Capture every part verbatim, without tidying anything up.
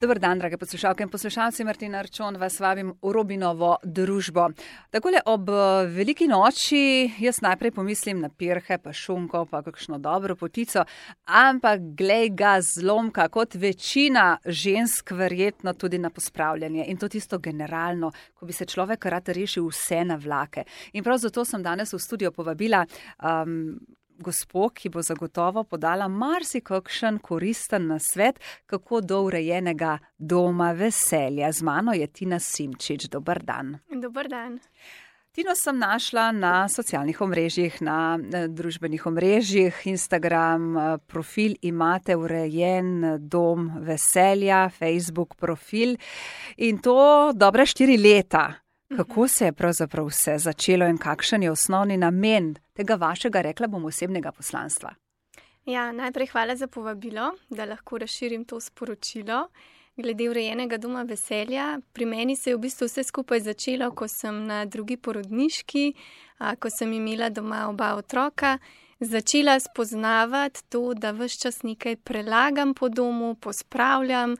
Dober dan, drage poslušalke in poslušalci, Martina Arčon vas vabim v Robinovo družbo. Takole ob veliki noči jaz najprej pomislim na pirhe, pa šunko, pa kakšno dobro potico, ampak glej ga zlomka, kot večina žensk verjetno tudi na pospravljanje in to tisto generalno, ko bi se človek rad rešil vse na vlake. In prav zato sem danes v studio povabila um, gospo, ki bo zagotovo podala marsikakšen koristen nasvet, kako do urejenega doma veselja. Z mano je Tina Simčič. Dober dan. Dober dan. Tino sem našla na socialnih omrežjih, na družbenih omrežjih, Instagram profil imate urejen dom veselja, Facebook profil in to dobre štiri leta. Kako se je pravzaprav vse začelo in kakšen je osnovni namen tega vašega, rekla bom, osebnega poslanstva? Ja, najprej hvala za povabilo, da lahko razširim to sporočilo. Glede urejenega doma veselja, pri meni se je v bistvu vse skupaj začelo, ko sem na drugi porodniški, ko sem imela doma oba otroka, začela spoznavati to, da ves čas nekaj prelagam po domu, pospravljam.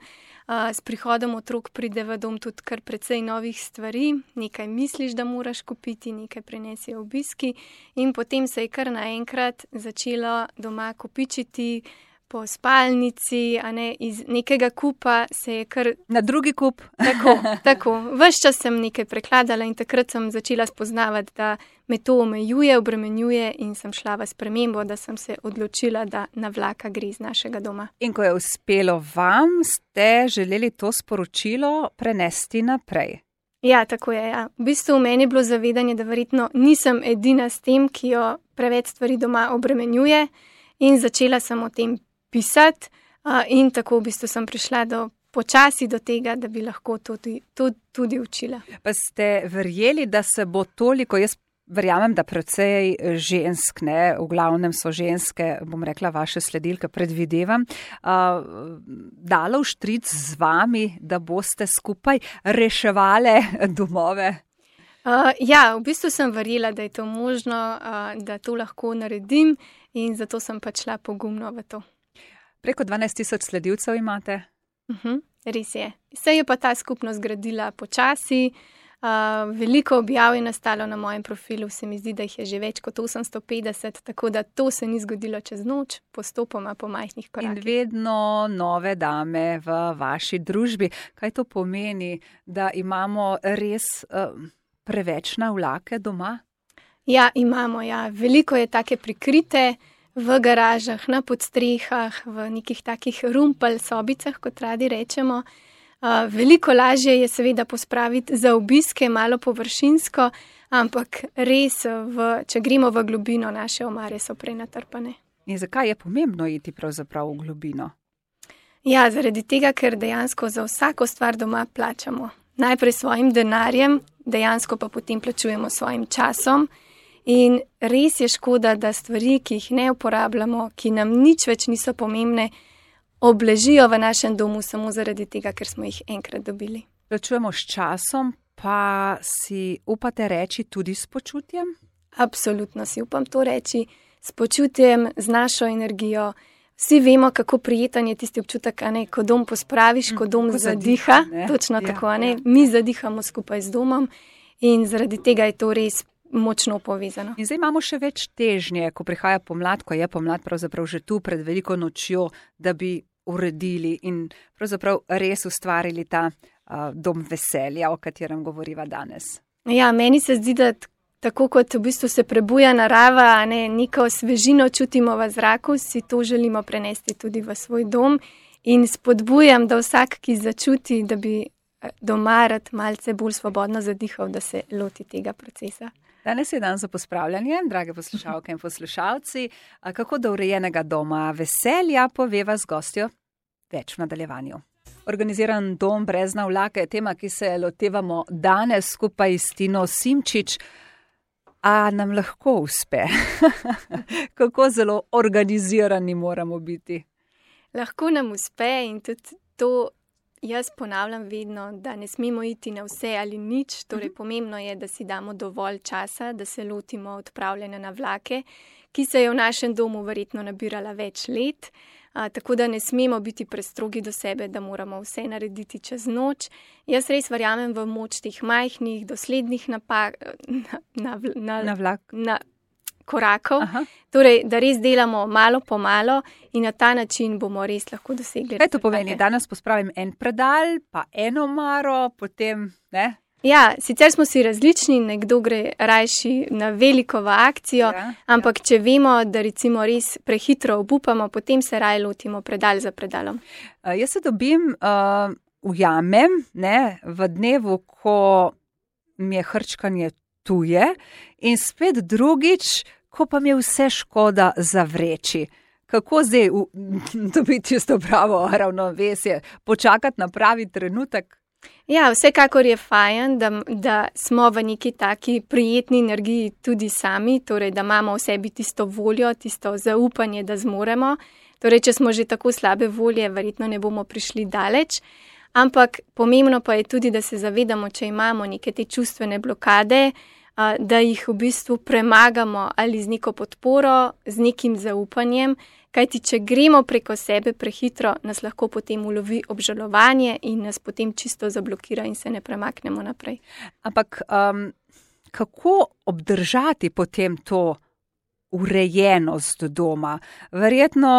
S prihodom otrok pride v dom tudi kar precej novih stvari, nekaj misliš, da moraš kupiti, nekaj prinesijo obiski in potem se je kar naenkrat začelo doma kopičiti po spalnici, a ne, iz nekega kupa se je kar... Na drugi kup. Tako, tako. Ves čas sem nekaj prekladala in takrat sem začela spoznavati, da me to omejuje, obremenjuje in sem šla v spremembo, da sem se odločila, da na vlaka gre iz našega doma. In ko je uspelo vam, ste želeli to sporočilo prenesti naprej. Ja, tako je. Ja. V bistvu v meni je bilo zavedanje, da verjetno nisem edina s tem, ki jo preveč stvari doma obremenjuje in začela sem o tem pisati uh, in tako v bistvu sem prišla do počasi do tega, da bi lahko to tudi, to tudi učila. Pa ste verjeli, da se bo toliko, jaz verjamem, da precej žensk, ne, v glavnem so ženske, bom rekla, vaše sledilke, predvidevam, uh, dalo vštric z vami, da boste skupaj reševale domove? Uh, ja, v bistvu sem verjela, da je to možno, uh, da to lahko naredim in zato sem pa šla pogumno v to. Preko dvanajst tisoč sledilcev imate? Uh-huh, res je. Se je pa ta skupnost gradila počasi, uh, veliko objav je nastalo na mojem profilu, se mi zdi, da jih je že več kot osemsto petdeset, tako da to se ni zgodilo čez noč, postopoma po majhnih korakih. In vedno nove dame v vaši družbi. Kaj to pomeni, da imamo res uh, preveč navlake doma? Ja, imamo, ja. Veliko je take prikrite, v garažah, na podstrehah, v nekih takih rumpel sobicah, kot radi rečemo. Uh, veliko lažje je seveda pospraviti za obiske, malo površinsko, ampak res, v, če gremo v globino, naše omare so prenatrpane. In zakaj je pomembno iti pravzaprav v globino? Ja, zaradi tega, ker dejansko za vsako stvar doma plačamo. Najprej svojim denarjem, dejansko pa potem plačujemo svojim časom. In res je škoda, da stvari, ki jih ne uporabljamo, ki nam nič več niso pomembne, obležijo v našem domu samo zaradi tega, ker smo jih enkrat dobili. Plačujemo s časom, pa si upate reči tudi s počutjem? Absolutno si upam to reči, s počutjem, z našo energijo. Vsi vemo, kako prijeten je tisti občutek, a ne, ko dom pospraviš, ko dom ko zadiha, zadiha točno ja, tako, a ne, ja. Mi zadihamo skupaj z domom in zaradi tega je to res močno povezano. In zdaj imamo še več težnje, ko prihaja pomlad, ko je pomlad pravzaprav že tu pred veliko nočjo, da bi uredili in pravzaprav res ustvarili ta uh, dom veselja, o katerem govoriva danes. Ja, meni se zdi, da tako kot v bistvu se prebuja narava, a ne, neko svežino čutimo v zraku, si to želimo prenesti tudi v svoj dom in spodbujam, da vsak, ki začuti, da bi doma rad malce bolj svobodno zadihal, da se loti tega procesa. Danes je dan za pospravljanje, drage poslušalke in poslušalci. Kako do urejenega doma veselja, poveva z gostjo več v nadaljevanju. Organiziran dom brez navlake je tema, ki se lotevamo danes skupaj s Tino Simčič. A nam lahko uspe? Kako zelo organizirani moramo biti? Lahko nam uspe in tudi to jaz ponavljam vedno, da ne smemo iti na vse ali nič, torej uh-huh. Pomembno je, da si damo dovolj časa, da se lotimo odpravljanja navlake, ki se je v našem domu verjetno nabirala več let. A, tako da ne smemo biti prestrogi do sebe, da moramo vse narediti čez noč. Jaz res verjamem v moč teh majhnih, doslednih napak, na, na, na, Na vlak. na korakov. Aha. Torej, da res delamo malo po malo in na ta način bomo res lahko dosegli. Kaj to pomeni? rezultate. Danes pospravim en predal, pa eno omaro, potem ne? Ja, sicer smo si različni, nekdo gre rajši na veliko v akcijo, Ja, ampak če vemo, da recimo res prehitro obupamo, potem se raje lotimo predal za predalom. Uh, jaz se dobim, uh, ujamem, ne, v dnevu, ko mi je hrčkanje tuje in spet drugič, ko pa mi je vse škoda zavreči. Kako zdaj v, dobiti tisto pravo ravnovesje, počakati na pravi trenutek? Ja, vsekakor je fajn, da, da smo v neki taki prijetni energiji tudi sami, torej da imamo v sebi tisto voljo, tisto zaupanje, da zmoremo. Torej, če smo že tako slabe volje, verjetno ne bomo prišli daleč. Ampak pomembno pa je tudi, da se zavedamo, če imamo neke te čustvene blokade, da jih v bistvu premagamo ali z neko podporo, z nekim zaupanjem. Kajti, če gremo preko sebe prehitro, nas lahko potem ulovi obžalovanje in nas potem čisto zablokira in se ne premaknemo naprej. Ampak um, kako obdržati potem to urejenost doma? Verjetno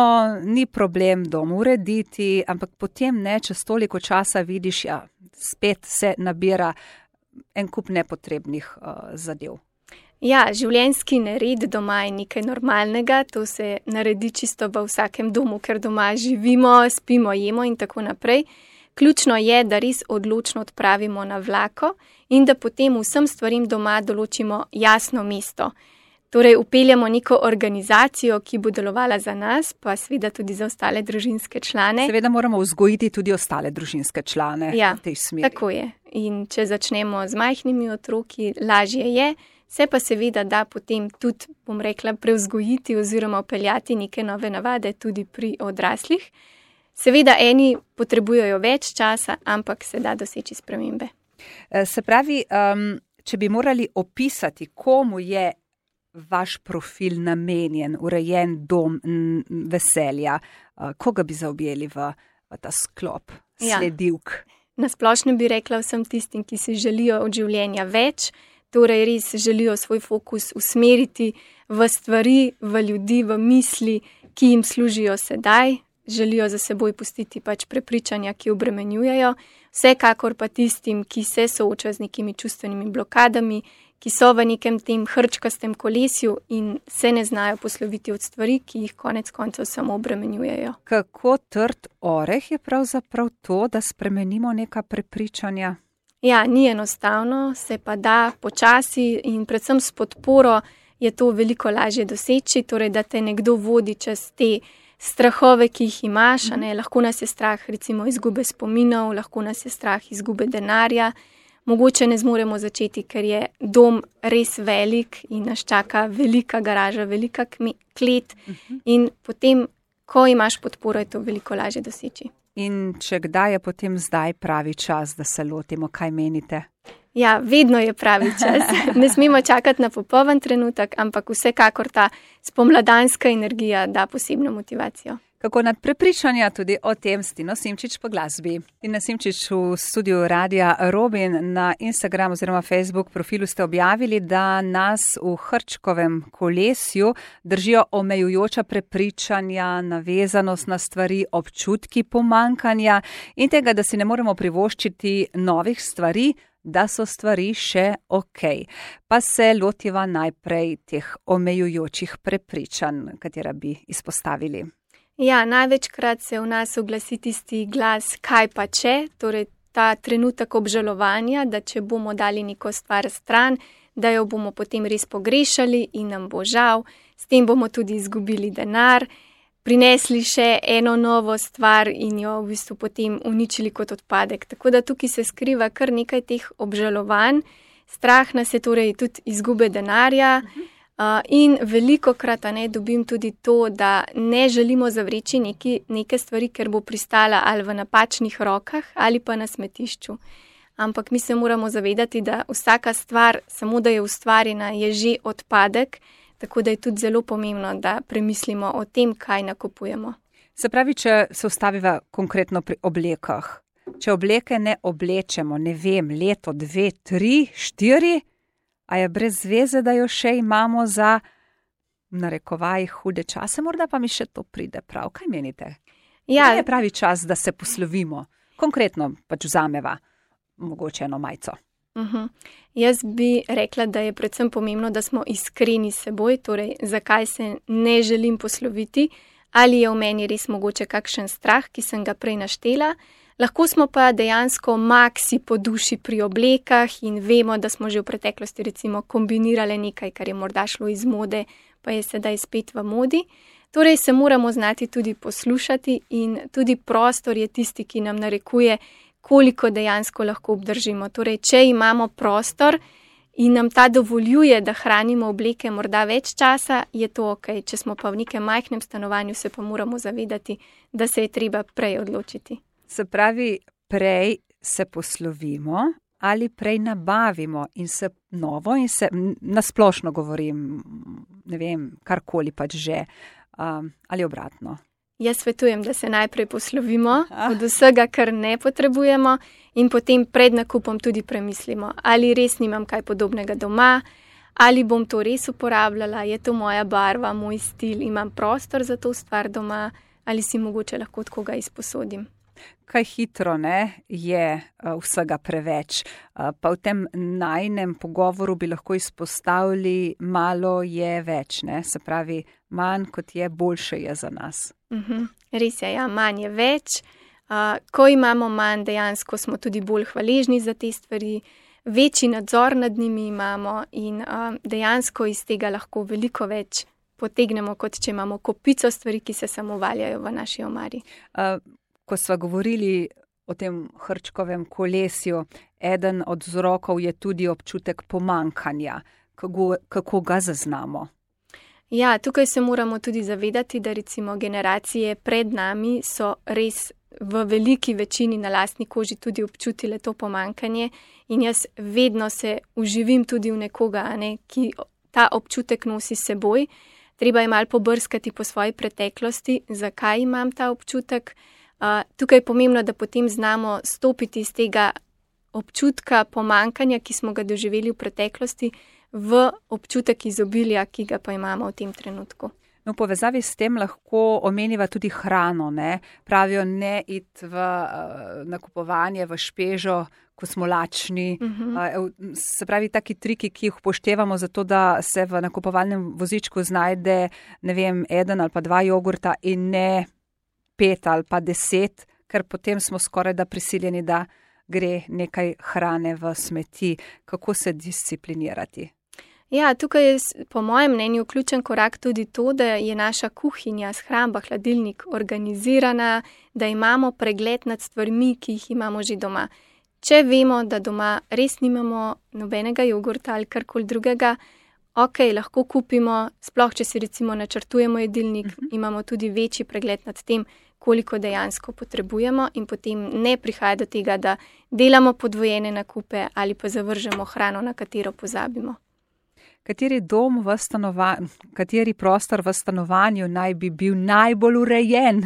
ni problem dom urediti, ampak potem ne, čez toliko časa vidiš, ja, spet se nabira en kup nepotrebnih uh, zadev. Ja, življenjski nered doma je nekaj normalnega, to se naredi čisto v vsakem domu, ker doma živimo, spimo, jemo in tako naprej. Ključno je, da res odločno odpravimo na vlako in da potem vsem stvarim doma določimo jasno mesto. Torej, upeljamo neko organizacijo, ki bo delovala za nas, pa seveda tudi za ostale družinske člane. Seveda moramo vzgojiti tudi ostale družinske člane ja, v tej smeri. Tako je. In če začnemo z majhnimi otroki, lažje je. Se pa seveda da potem tudi, bom rekla, prevzgojiti oziroma upeljati neke nove navade tudi pri odraslih. Seveda eni potrebujejo več časa, ampak se da doseči spremembe. Se pravi, um, če bi morali opisati, komu je vaš profil namenjen, urejen dom veselja, uh, koga bi zaobjeli v, v ta sklop sledilk? Ja. Na splošno bi rekla vsem tistim, ki si želijo od življenja več, torej res želijo svoj fokus usmeriti v stvari, v ljudi, v misli, ki jim služijo sedaj, želijo za seboj pustiti pač prepričanja, ki obremenjujejo, vsekakor pa tistim, ki se soočajo z nekimi čustvenimi blokadami, ki so v nekem tem hrčkastem kolesju in se ne znajo posloviti od stvari, ki jih konec koncev samo obremenjujejo. Kako trd oreh je pravzaprav to, da spremenimo neka prepričanja? Ja, ni enostavno, se pa da počasi in predvsem s podporo je to veliko lažje doseči, torej da te nekdo vodi čez te strahove, ki jih imaš, a ne, lahko nas je strah recimo izgube spominov, lahko nas je strah izgube denarja, mogoče ne zmoremo začeti, ker je dom res velik in nas čaka velika garaža, velika klet in potem, ko imaš podporo, je to veliko lažje doseči. In če kdaj je potem zdaj pravi čas, da se lotimo, kaj menite? Ja, vedno je pravi čas. Ne smemo čakati na popoln trenutek, ampak vsekakor ta spomladanska energija da posebno motivacijo. Kako nad prepričanja tudi o tem s Tino Simčič po glasbi. Tina Simčič v studiu Radia Robin na Instagram oziroma Facebook profilu ste objavili, da nas v hrčkovem kolesju držijo omejujoča prepričanja, navezanost na stvari, občutki pomankanja in tega, da si ne moremo privoščiti novih stvari, da so stvari še ok. Pa se lotiva najprej teh omejujočih prepričanj, katera bi izpostavili. Ja, največkrat se v nas oglasi tisti glas, kaj pa če, torej ta trenutek obžalovanja, da če bomo dali neko stvar stran, da jo bomo potem res pogrešali in nam bo žal, s tem bomo tudi izgubili denar, prinesli še eno novo stvar in jo v bistvu potem uničili kot odpadek. Tako da tukaj se skriva kar nekaj teh obžalovanj, strah nas je torej tudi izgube denarja, Uh, in veliko krat ne dobim tudi to, da ne želimo zavreči neki, neke stvari, ker bo pristala ali v napačnih rokah ali pa na smetišču. Ampak mi se moramo zavedati, da vsaka stvar, samo da je ustvarjena, je že odpadek, tako da je tudi zelo pomembno, da premislimo o tem, kaj nakupujemo. Se pravi, če se ustaviva konkretno pri oblekah, če obleke ne oblečemo, ne vem, leto, dve, tri, štiri, a je brez veze, da jo še imamo za narekovaj hude čase, morda pa mi še to pride prav. Kaj menite? Ja. Je pravi čas, da se poslovimo. Konkretno pač vzameva mogoče eno majico. Uh-huh. Jaz bi rekla, da je predvsem pomembno, da smo iskreni s seboj, torej zakaj se ne želim posloviti, ali je v meni res mogoče kakšen strah, ki sem ga prej naštela. Lahko smo pa dejansko maksi po duši pri oblekah in vemo, da smo že v preteklosti recimo kombinirali nekaj, kar je morda šlo iz mode, pa je sedaj spet v modi. Torej se moramo znati tudi poslušati in tudi prostor je tisti, ki nam narekuje, koliko dejansko lahko obdržimo. Torej, če imamo prostor in nam ta dovoljuje, da hranimo obleke morda več časa, je to ok. Če smo pa v nekem majhnem stanovanju, se pa moramo zavedati, da se je treba prej odločiti. Se pravi, prej se poslovimo ali prej nabavimo in se novo in se nasplošno govorim, ne vem, karkoli pač že, um, ali obratno. Jaz svetujem, da se najprej poslovimo od vsega, kar ne potrebujemo in potem pred nakupom tudi premislimo, ali res nimam kaj podobnega doma, ali bom to res uporabljala, je to moja barva, moj stil, imam prostor za to stvar doma, ali si mogoče lahko od koga izposodim. Kaj hitro ne, je vsega preveč, pa v tem najnem pogovoru bi lahko izpostavili, malo je več, ne? Se pravi, manj kot je, boljše je za nas. Uh-huh. Res je, ja, manj je več. Uh, ko imamo manj, dejansko smo tudi bolj hvaležni za te stvari, večji nadzor nad njimi imamo in uh, dejansko iz tega lahko veliko več potegnemo, kot če imamo kopico stvari, ki se samo valjajo v naši omari. Uh, ko sva govorili o tem hrčkovem kolesju, eden od vzrokov je tudi občutek pomankanja. Kako, kako ga zaznamo? Ja, tukaj se moramo tudi zavedati, da recimo generacije pred nami so res v veliki večini na lastni koži tudi občutile to pomankanje in jaz vedno se uživim tudi v nekoga, ne, ki ta občutek nosi s seboj. Treba je malo pobrskati po svoji preteklosti, zakaj imam ta občutek. Uh, tukaj je pomembno, da potem znamo stopiti iz tega občutka pomankanja, ki smo ga doživeli v preteklosti, v občutek izobilja, ki ga pa imamo v tem trenutku. No, v povezavi s tem lahko omeniva tudi hrano, ne? Pravijo ne iti v uh, nakupovanje, v špežo, ko smo lačni. Uh-huh. Uh, se pravi, taki triki, ki jih upoštevamo za to, da se v nakupovalnem vozičku znajde, ne vem, eden ali pa dva jogurta in ne pet ali pa deset, ker potem smo skoraj da prisiljeni, da gre nekaj hrane v smeti. Kako se disciplinirati? Ja, tukaj je po mojem mnenju ključen korak tudi to, da je naša kuhinja, shramba, hladilnik organizirana, da imamo pregled nad stvarmi, ki jih imamo že doma. Če vemo, da doma res nimamo nobenega jogurta ali karkoli drugega, ok, lahko kupimo, sploh če si recimo načrtujemo jedilnik, uh-huh. imamo tudi večji pregled nad tem, koliko dejansko potrebujemo in potem ne prihaja do tega, da delamo podvojene nakupe ali pa zavržemo hrano, na katero pozabimo. Kateri dom v stanovanju, kateri prostor v stanovanju naj bi bil najbolj urejen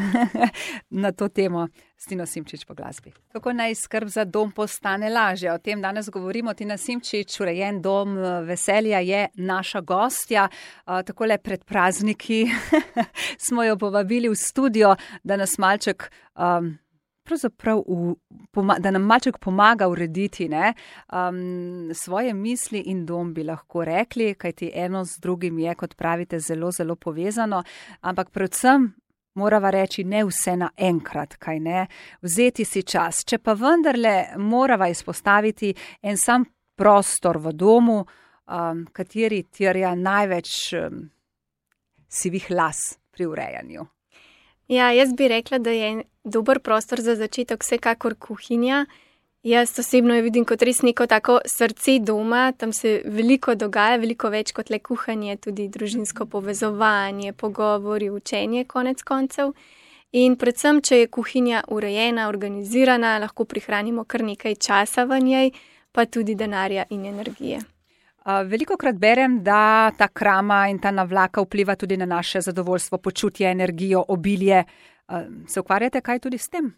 na to temo? Tino Simčič po glasbi. Kako naj skrb za dom postane lažja? O tem danes govorimo. Tina Simčič, urejen dom veselja, je naša gostja. Takole pred prazniki smo jo povabili v studio, da nas malček um, pravzaprav v, da nam malček pomaga urediti ne, um, svoje misli in dom, bi lahko rekli, kajti eno z drugim je, kot pravite, zelo, zelo povezano, ampak predvsem morava reči ne vse naenkrat, kaj ne, vzeti si čas. Če pa vendarle morava izpostaviti en sam prostor v domu, um, kateri terja največ um, sivih las pri urejanju. Ja, jaz bi rekla, da je dober prostor za začetek vsekakor kuhinja. Jaz osebno jo vidim kot res neko tako srce doma, tam se veliko dogaja, veliko več kot le kuhanje, tudi družinsko povezovanje, pogovori, učenje konec koncev. In predvsem, če je kuhinja urejena, organizirana, lahko prihranimo kar nekaj časa v njej, pa tudi denarja in energije. Velikokrat berem, da ta krama in ta navlaka vpliva tudi na naše zadovoljstvo, počutje, energijo, obilje. Se ukvarjate kaj tudi s tem?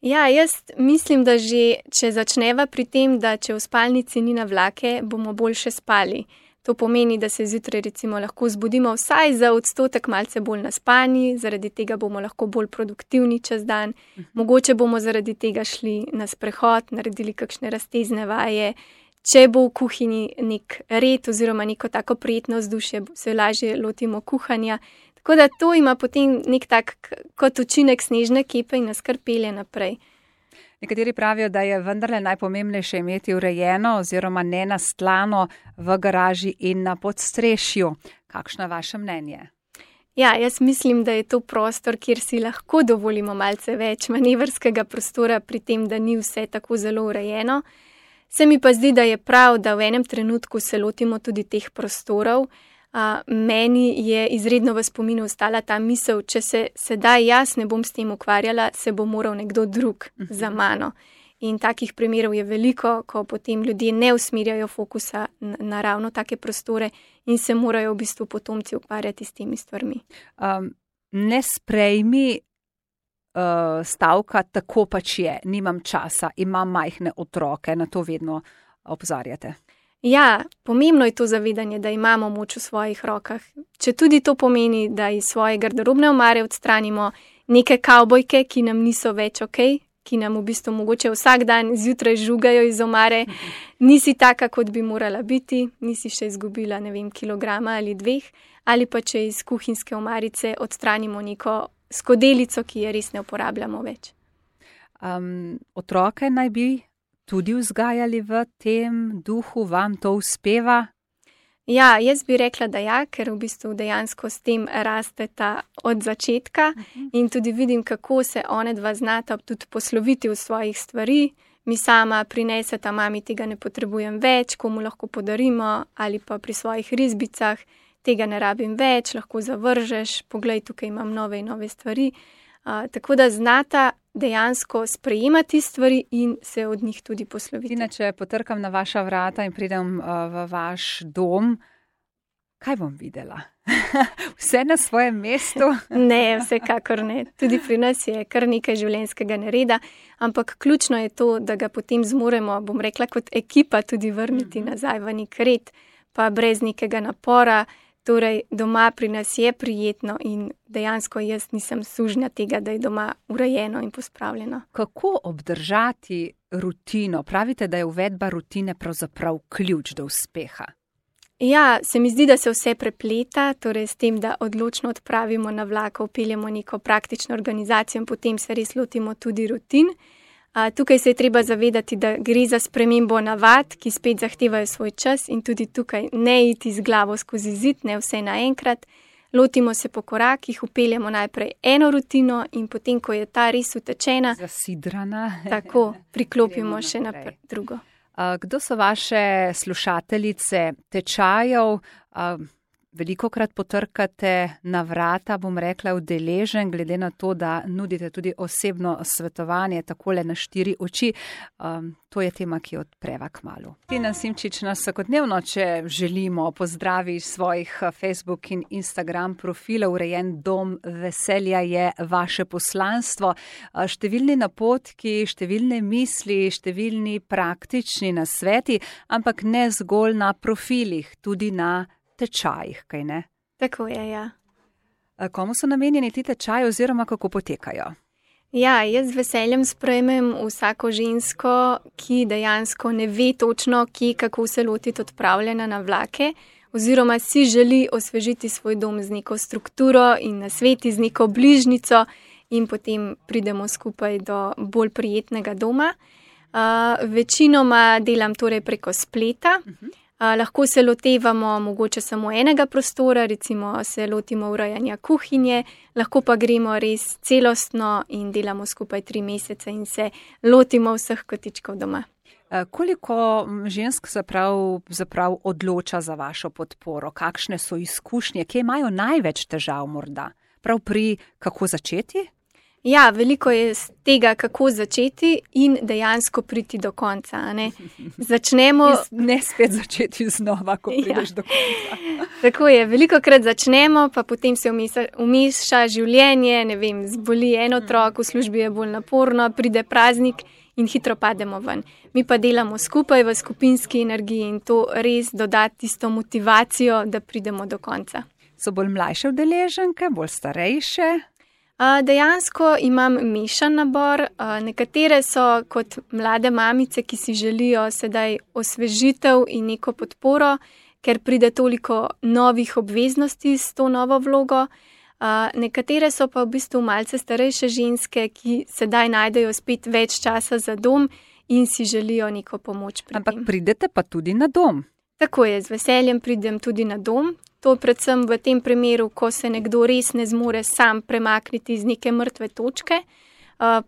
Ja, jaz mislim, da že, če začneva pri tem, da če v spalnici ni navlake, bomo boljše spali. To pomeni, da se zjutraj recimo lahko zbudimo vsaj za odstotek malce bolj naspani, zaradi tega bomo lahko bolj produktivni čez dan. Mogoče bomo zaradi tega šli na sprehod, naredili kakšne raztezne vaje. Če bo v kuhinji nek red oziroma neko tako prijetno vzdušje, se lažje lotimo kuhanja. Tako da to ima potem nek tak kot učinek snežne kepe in nas kar pelje naprej. Nekateri pravijo, da je vendarle najpomembnejše imeti urejeno oziroma nenastlano v garaži in na podstrešju. Kakšno je vaše mnenje? Ja, jaz mislim, da je to prostor, kjer si lahko dovolimo malce več manevrskega prostora pri tem, da ni vse tako zelo urejeno. Se mi pa zdi, da je prav, da v enem trenutku se lotimo tudi teh prostorov. Uh, meni je izredno v spominu ostala ta misel, če se sedaj jaz ne bom s tem ukvarjala, se bo moral nekdo drug za mano. In takih primerov je veliko, ko potem ljudje ne usmerjajo fokusa na, na ravno take prostore in se morajo v bistvu potomci ukvarjati s temi stvarmi. Um, ne sprejmi uh, stavka, tako pač je, nimam časa, imam majhne otroke, na to vedno opozarjate. Ja, pomembno je to zavedanje, da imamo moč v svojih rokah. Če tudi to pomeni, da iz svoje garderobne omare odstranimo neke kavbojke, ki nam niso več ok, ki nam v bistvu mogoče vsak dan zjutraj žugajo iz omare, nisi taka, kot bi morala biti, nisi še izgubila, ne vem, kilograma ali dveh, ali pa če iz kuhinjske omarice odstranimo neko skodelico, ki je res ne uporabljamo več. Um, otroke naj bi tudi vzgajali v tem duhu, vam to uspeva? Ja, jaz bi rekla, da ja, ker v bistvu dejansko s tem rasteta od začetka uh-huh. in tudi vidim, kako se one dva znata tudi posloviti v svojih stvari. Mi sama prineseta, mami, tega ne potrebujem več, komu lahko podarimo, ali pa pri svojih risbicah, tega ne rabim več, lahko zavržeš, poglej, tukaj imam nove in nove stvari. Uh, tako da znata dejansko sprejemati stvari in se od njih tudi posloviti. Tina, če potrkam na vaša vrata in pridem uh, v vaš dom, kaj bom videla? Vse na svojem mestu? Ne, vsekakor ne. Tudi pri nas je kar nekaj življenjskega nereda, ampak ključno je to, da ga potem zmoremo, bom rekla, kot ekipa tudi vrniti mm-hmm. nazaj v nek red, pa brez nekega napora. Torej, doma pri nas je prijetno in dejansko jaz nisem sužnja tega, da je doma urejeno in pospravljeno. Kako obdržati rutino? Pravite, da je uvedba rutine pravzaprav ključ do uspeha. Ja, se mi zdi, da se vse prepleta, torej s tem, da odločno odpravimo navlako, vpeljemo neko praktično organizacijo in potem se res lotimo tudi rutin. A, tukaj se je treba zavedati, da gre za spremembo navad, ki spet zahtevajo svoj čas in tudi tukaj ne iti z glavo skozi zid, ne vse naenkrat. Lotimo se po korakih, vpeljemo najprej eno rutino in potem, ko je ta res utečena, zasidrana, tako priklopimo še na drugo. A, kdo so vaše slušateljice tečajev? A, Velikokrat potrkate na vrata, bom rekla, udeležen, glede na to, da nudite tudi osebno svetovanje takole na štiri oči. Um, to je tema, ki odpreva kmalu. Tina Simčič nas vsakodnevno, če želimo, pozdravi svojih Facebook in Instagram profilov. Urejen dom veselja je vaše poslanstvo. Številni napotki, številne misli, številni praktični nasveti, ampak ne zgolj na profilih, tudi na tečajih, kaj ne? Tako je, ja. Komu so namenjeni ti tečaji oziroma kako potekajo? Ja, jaz z veseljem sprejmem vsako žensko, ki dejansko ne ve točno, kje, kako se lotiti odpravljanja na vlake, oziroma si želi osvežiti svoj dom z neko strukturo in nasveti z neko bližnico in potem pridemo skupaj do bolj prijetnega doma. Uh, večinoma delam torej preko spleta. Uh-huh. Uh, lahko se lotevamo mogoče samo enega prostora, recimo se lotimo urejanja kuhinje, lahko pa gremo res celostno in delamo skupaj tri mesece in se lotimo vseh kotičkov doma. Koliko žensk zaprav, zaprav odloča za vašo podporo? Kakšne so izkušnje? Kje imajo največ težav morda? Prav pri kako začeti? Ja, veliko je z tega, kako začeti in dejansko priti do konca. A ne? Začnemo. Ne spet začeti znova, ko prideš ja. do konca. Tako je, veliko krat začnemo, pa potem se umeša življenje, ne vem, zboli en otrok, v službi je bolj naporno, pride praznik in hitro pademo ven. Mi pa delamo skupaj v skupinski energiji in to res doda tisto motivacijo, da pridemo do konca. So bolj mlajše udeleženke, bolj starejše? Dejansko imam mešan nabor, nekatere so kot mlade mamice, ki si želijo sedaj osvežitev in neko podporo, ker pride toliko novih obveznosti s to novo vlogo. Nekatere so pa v bistvu malce starejše ženske, ki sedaj najdejo spet več časa za dom in si želijo neko pomoč pri tem. Ampak pridete pa tudi na dom. Tako je, z veseljem pridem tudi na dom. To predvsem v tem primeru, ko se nekdo res ne zmore sam premakniti iz neke mrtve točke,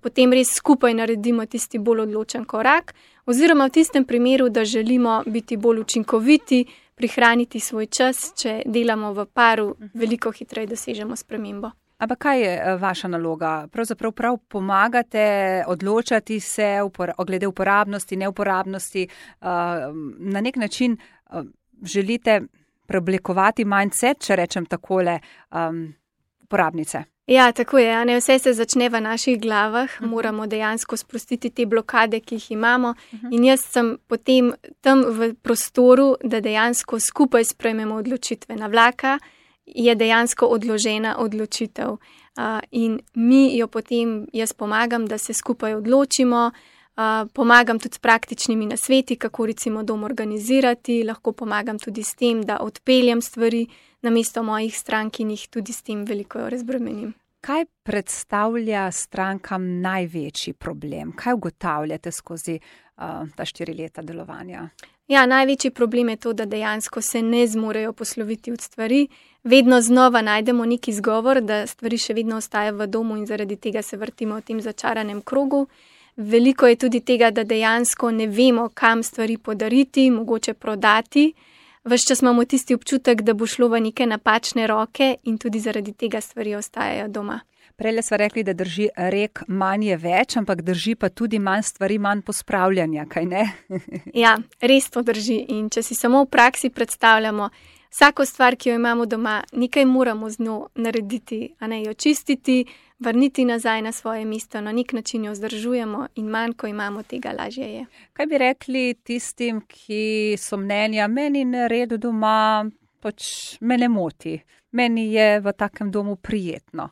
potem res skupaj naredimo tisti bolj odločen korak, oziroma v tistem primeru, da želimo biti bolj učinkoviti, prihraniti svoj čas, če delamo v paru, veliko hitreje dosežemo spremembo. Ampak kaj je vaša naloga? Pravzaprav prav pomagate odločati se glede uporabnosti, neuporabnosti, na nek način želite preoblikovati mindset, če rečem takole, um, uporabnice. Ja, tako je. Ne, vse se začne v naših glavah. Uh-huh. Moramo dejansko sprostiti te blokade, ki jih imamo. Uh-huh. In jaz sem potem tam v prostoru, da dejansko skupaj sprejmemo odločitve. Na vlaka je dejansko odložena odločitev. Uh, in mi jo potem, jaz pomagam, da se skupaj odločimo. Uh, pomagam tudi s praktičnimi nasveti, kako recimo dom organizirati, lahko pomagam tudi s tem, da odpeljem stvari namesto mojih strank in jih tudi s tem veliko razbremenim. Kaj predstavlja strankam največji problem? Kaj ugotavljate skozi uh, ta štiri leta delovanja? Ja, največji problem je to, da dejansko se ne zmorejo posloviti od stvari. Vedno znova najdemo neki izgovor, da stvari še vedno ostajajo v domu in zaradi tega se vrtimo v tem začaranem krogu. Veliko je tudi tega, da dejansko ne vemo, kam stvari podariti, mogoče prodati. Ves čas imamo tisti občutek, da bo šlo v neke napačne roke in tudi zaradi tega stvari ostajajo doma. Prejle sva rekli, da drži rek manj je več, ampak drži pa tudi manj stvari, manj pospravljanja, kaj ne? Ja, res to drži. In če si samo v praksi predstavljamo, vsako stvar, ki jo imamo doma, nekaj moramo z njo narediti, a ne jo čistiti, vrniti nazaj na svoje mesto, na nek način jo vzdržujemo in manj, ko imamo tega, lažje je. Kaj bi rekli tistim, ki so mnenja, meni nered doma, pač me ne moti, meni je v takem domu prijetno?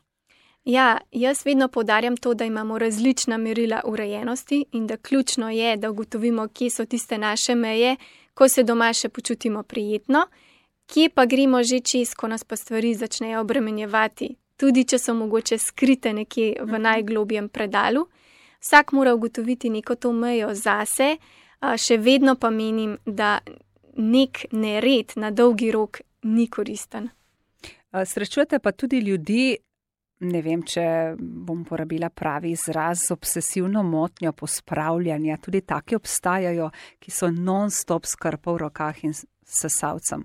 Ja, jaz vedno poudarjam to, da imamo različna merila urejenosti in da ključno je, da ugotovimo, kje so tiste naše meje, ko se doma še počutimo prijetno, kje pa gremo že čez, ko nas pa stvari začnejo obremenjevati. Tudi če so mogoče skrite nekje v najglobjem predalu. Vsak mora ugotoviti neko to mejo zase, še vedno pa menim, da nek nered na dolgi rok ni koristen. Srečujete pa tudi ljudi, ne vem, če bom porabila pravi izraz, z obsesivno motnjo pospravljanja. Tudi taki obstajajo, ki so non-stop s krpo v rokah in sesalcem.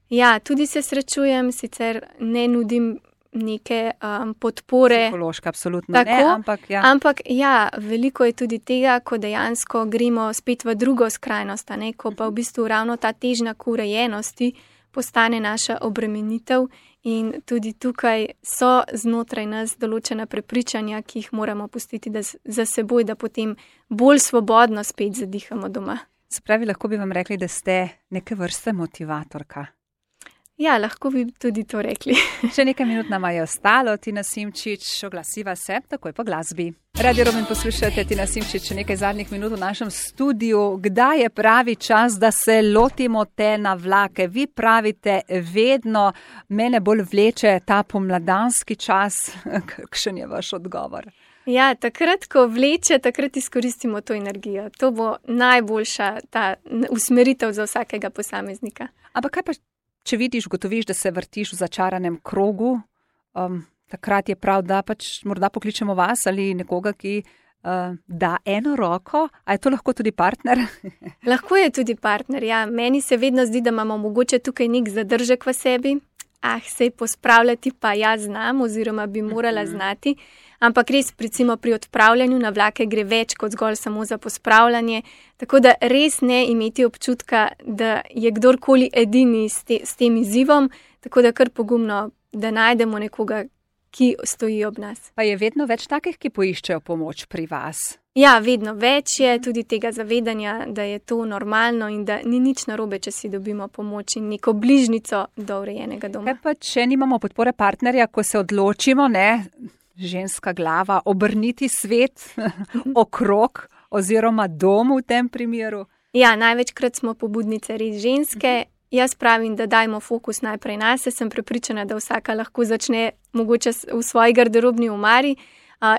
Ja, tudi se srečujem, sicer ne nudim neke um, podpore. Psihološka, absolutno tako, ne, ampak ja. Ampak ja, veliko je tudi tega, ko dejansko gremo spet v drugo skrajnost, ne, ko pa v bistvu ravno ta težnja k urejenosti postane naša obremenitev in tudi tukaj so znotraj nas določena prepričanja, ki jih moramo pustiti da, za seboj, da potem bolj svobodno spet zadihamo doma. Se pravi, lahko bi vam rekli, da ste neke vrste motivatorka. Ja, lahko bi tudi to rekli. Še nekaj minut nam je ostalo. Tina Simčič, oglasiva se takoj po glasbi. Radio Roman poslušate, Tina Simčič, še nekaj zadnjih minut v našem studiu. Kdaj je pravi čas, da se lotimo te navlake? Vi pravite vedno, mene bolj vleče ta pomladanski čas. Kakšen je vaš odgovor? Ja, takrat, ko vleče, takrat izkoristimo to energijo. To bo najboljša ta usmeritev za vsakega posameznika. Ampak kaj pa, če vidiš, gotoviš, da se vrtiš v začaranem krogu, um, takrat je prav, da pač morda pokličemo vas ali nekoga, ki uh, da eno roko. A je to lahko tudi partner? Lahko je tudi partner, ja. Meni se vedno zdi, da imamo mogoče tukaj nek zadržek v sebi. Ah, sej pospravljati pa jaz znam oziroma bi morala znati. ampak res recimo pri odpravljanju navlake gre več kot zgolj samo za pospravljanje, tako da res ne imeti občutka, da je kdorkoli edini s, te, s tem izzivom, tako da kar pogumno, da najdemo nekoga, ki stoji ob nas. Pa je vedno več takih, ki poiščejo pomoč pri vas? Ja, vedno več je tudi tega zavedanja, da je to normalno in da ni nič narobe, če si dobimo pomoč in neko bližnico do urejenega doma. Kaj pa, če nimamo podpore partnerja, ko se odločimo, ne, ženska glava, obrniti svet okrog oziroma dom v tem primeru? Ja, največkrat smo pobudnice res ženske. Jaz pravim, da dajmo fokus najprej nase, sem prepričana, da vsaka lahko začne mogoče v svoji garderobni omari,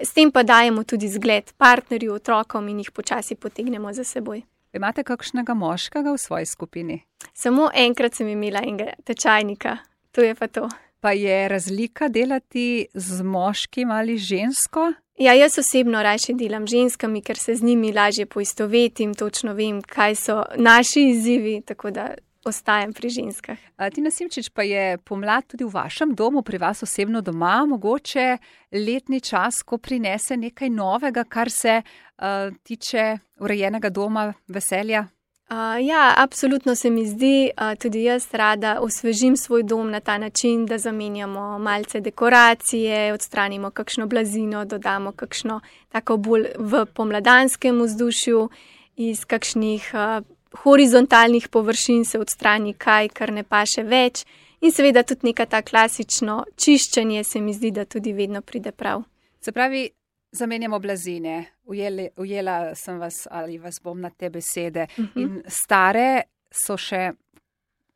s tem pa dajemo tudi zgled partnerju, otrokom in jih počasi potegnemo za seboj. Imate kakšnega moškega v svoji skupini? Samo enkrat sem imela enega tečajnika, to je pa to. Pa je razlika delati z moškim ali žensko? Ja, jaz osebno rajše delam ženskami, ker se z njimi lažje poistovetim, točno vem, kaj so naši izzivi, tako da ostajam pri ženskah. Tina Simčič, pa je pomlad tudi v vašem domu, pri vas osebno doma, mogoče letni čas, ko prinese nekaj novega, kar se uh, tiče urejenega doma, veselja? Uh, ja, absolutno se mi zdi, uh, tudi jaz rada osvežim svoj dom na ta način, da zamenjamo malce dekoracije, odstranimo kakšno blazino, dodamo kakšno tako bolj v pomladanskem vzdušju, iz kakšnih uh, horizontalnih površin se odstrani kaj, kar ne paše več in seveda tudi neka ta klasično čiščenje se mi zdi, da tudi vedno pride prav. Se pravi, zamenjamo blazine, ujeli, ujela sem vas ali vas bom na te besede uh -huh. in stare so še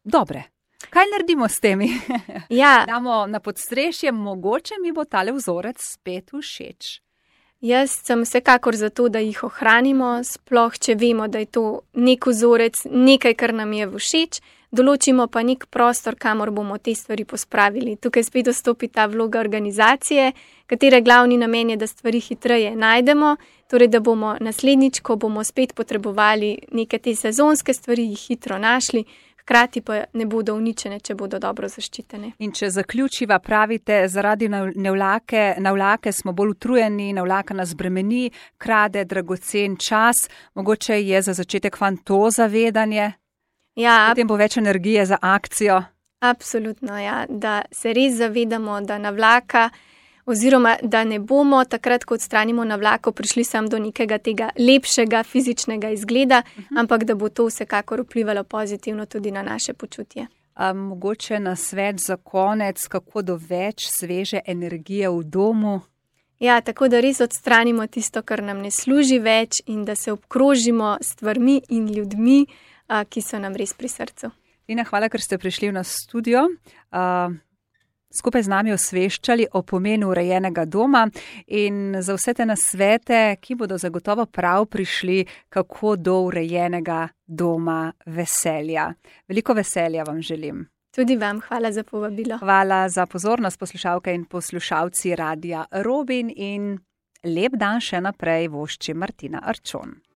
dobre. Kaj naredimo s temi? Ja. Damo na podstrešje, mogoče mi bo tale vzorec spet všeč. Jaz sem vsekakor za to, da jih ohranimo, sploh če vemo, da je to nek vzorec, nekaj, kar nam je všeč, določimo pa nek prostor, kamor bomo te stvari pospravili. Tukaj spet dostopi ta vloga organizacije, katere glavni namen je, da stvari hitreje najdemo, torej da bomo naslednjič, ko bomo spet potrebovali neke te sezonske stvari, jih hitro našli, hkrati pa ne bodo uničene, če bodo dobro zaščitene. In če zaključiva, pravite, zaradi navlake, navlake smo bolj utrujeni, navlaka nas bremeni, krade dragocen čas, mogoče je za začetek fan to zavedanje, ja, potem bo več energije za akcijo. Absolutno, ja, da se res zavedamo, da navlaka oziroma da ne bomo takrat, ko odstranimo navlako, prišli sam do nekega tega lepšega fizičnega izgleda, uh-huh. ampak da bo to vsekakor vplivalo pozitivno tudi na naše počutje. A mogoče na svet za konec, kako do več sveže energije v domu? Ja, tako da res odstranimo tisto, kar nam ne služi več in da se obkrožimo s stvarmi in ljudmi, ki so nam res pri srcu. Tina, hvala, ker ste prišli v nas studio. Uh, skupaj z nami osveščali o pomenu urejenega doma in za vse te nasvete, ki bodo zagotovo prav prišli, kako do urejenega doma veselja. Veliko veselja vam želim. Tudi vam hvala za povabilo. Hvala za pozornost, poslušalke in poslušalci Radia Robin in lep dan še naprej vošči Martina Arčon.